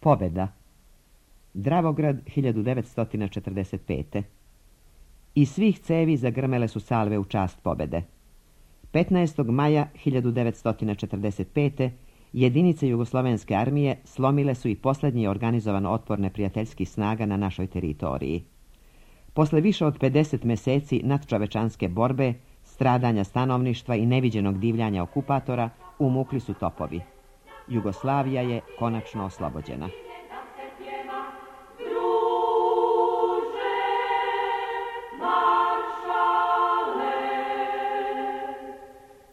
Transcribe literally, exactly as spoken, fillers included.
Pobjeda. Dravograd hiljadu devetsto četrdeset pete. Iz svih cevi zagrmele su salve u čast pobjede. petnaestog maja hiljadu devetsto četrdeset pete. jedinice Jugoslovenske armije slomile su i posljednji organizovan otpor neprijateljskih snaga na našoj teritoriji. Posle više od pedeset mjeseci nadčovečanske borbe, stradanja stanovništva i neviđenog divljanja okupatora, umukli su topovi. Jugoslavija je konačno oslobođena.